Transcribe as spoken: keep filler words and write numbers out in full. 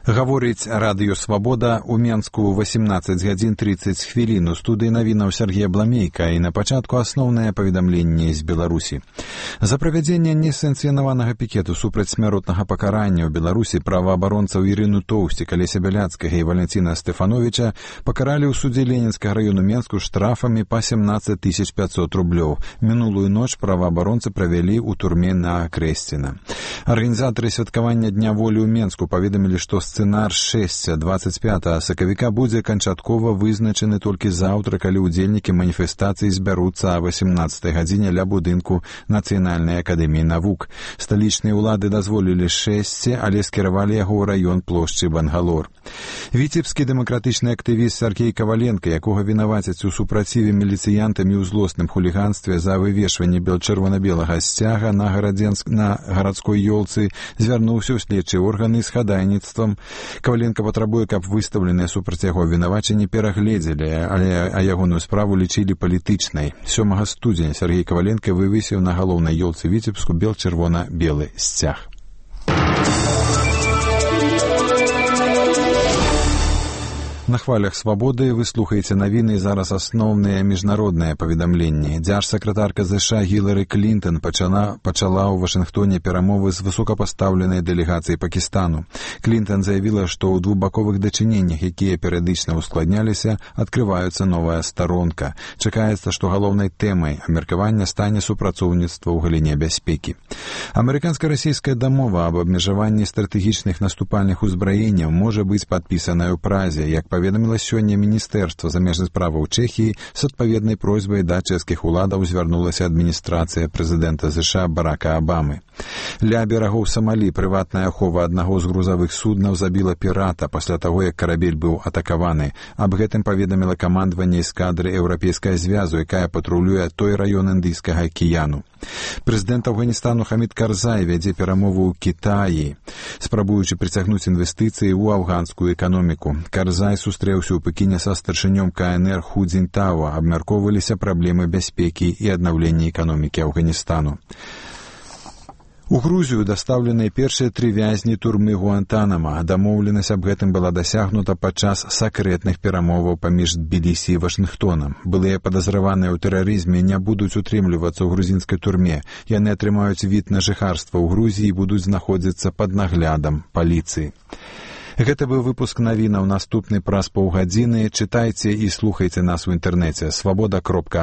Гаворыць радыё «Свабода» у Менску восемнадцать гадзін тридцать хвілін. У студыі навінаў Сергей Бламейка, і на пачатку асноўнае паведамленне з Беларусі. За правядзенне несанкцыянаванага пікету супраць смяротнага пакарання ў Беларусі праваабаронцаў Ірыну Тоўсцік, Алеся Бяляцкага і Валянціна Стэфановіча пакаралі ў судзе Ленінскага раёну Менску штрафамі па семнадцать тысяч пятьсот рублёў. Мінулую ноч праваабаронцы правялі ў турме на Крэсціна. Арганізатары святкавання Дня волі ў Менску паведамілі, што сцэнар шэсця двадцать пятага сакавіка будзе канчаткова вызначаны толькі заўтра, калі ўдзельнікі маніфестацыі збяруцца а восемнадцатай гадзіне ля будынку Нацыянальнай акадэміі навук. Сталічныя ўлады дазволілі шэсце, але скіравалі яго ў раён плошчы Бангалор. Віцебскі дэмакратычны актывіст Сергей Каваленко, якога вінавацяць у супраціве міліцыянтамі ў злосным хуліганстве за вывешванне чырвона-белага сцяга на, гарадзенск... на гарадской ёлцы, звярнуўся ў следчыя органы з хадайніцтвам. Каваленко патрабуе, каб выстаўленыя супраць яго вінавачанні перагледзелі, але а ягоную справу лічылі палітычнай. сёмага студзеня Сергей Каваленко вывесіў на галоўнай ёлцы Віцебску бел-чырвона-белы сцяг. На хвалях «Свабоды» вы слухаеце навіны, зараз асноўныя міжнародныя паведамленні. Дзяржсакратарка ЗША Гілары Клінтон пачала, пачала ў Вашынгтоне перамовы з высокапастаўленай дэлегацыяй Пакістану. Клінтон заявіла, што ў двухбаковых дачыненнях, якія перыядычна ускладняліся, адкрываецца новая старонка. Чакаецца, што галоўнай тэмай абмеркавання стане супрацоўніцтва ў галіне бяспекі. Амерыканска-расійская дамова аб абмежаванні стратэгічных наступальных узбраенняў можа быць падпісаная ў Празе, як паведаміла сёння Міністэрства замежных справаў Чэхіі. З адпаведнай просьбай да чэшскіх уладаў звярнулася адміністрацыя прэзідэнта ЗША Барака Абамы. Ля берагоў Самалі прыватная ахова аднаго з грузавых суднаў забіла пірата пасля таго, як карабель быў атакаваны. Аб гэтым паведаміла камандаванне эскадры Еўрапейскага звязу, якая патрулюе той раён Індыйскага акіяну. Прэзідэнт Афганістану Хамід Карзай вядзе перамову ў Кітаі, спрабуючы прыцягнуць інвестыцыі ў афганскую эканоміку. Карзай сустрэўся ў Пекіне са старшынём КНР Ху Цзіньтао, абмяркоўваліся праблемы бяспекі і аднаўлення эканомікі Афганістану. У Грузію дастаўленыя першыя тры вязні турмы Гуантанама. Дамоўленасць аб гэтым была дасягнута падчас сакрэтных перамоваў паміж Тбілісі і Вашынгтонам. Былыя падазраваныя ў тэрарызме не будуць утрымлівацца ў грузінскай турме. Яны атрымаюць від на жыхарства ў Грузіі і будуць знаходзіцца пад наглядам паліцыі. Гэта быў выпуск навінаў. Наступны праз паўгадзіны. Чытайце і слухайце нас у інтэрнэце свабода кропка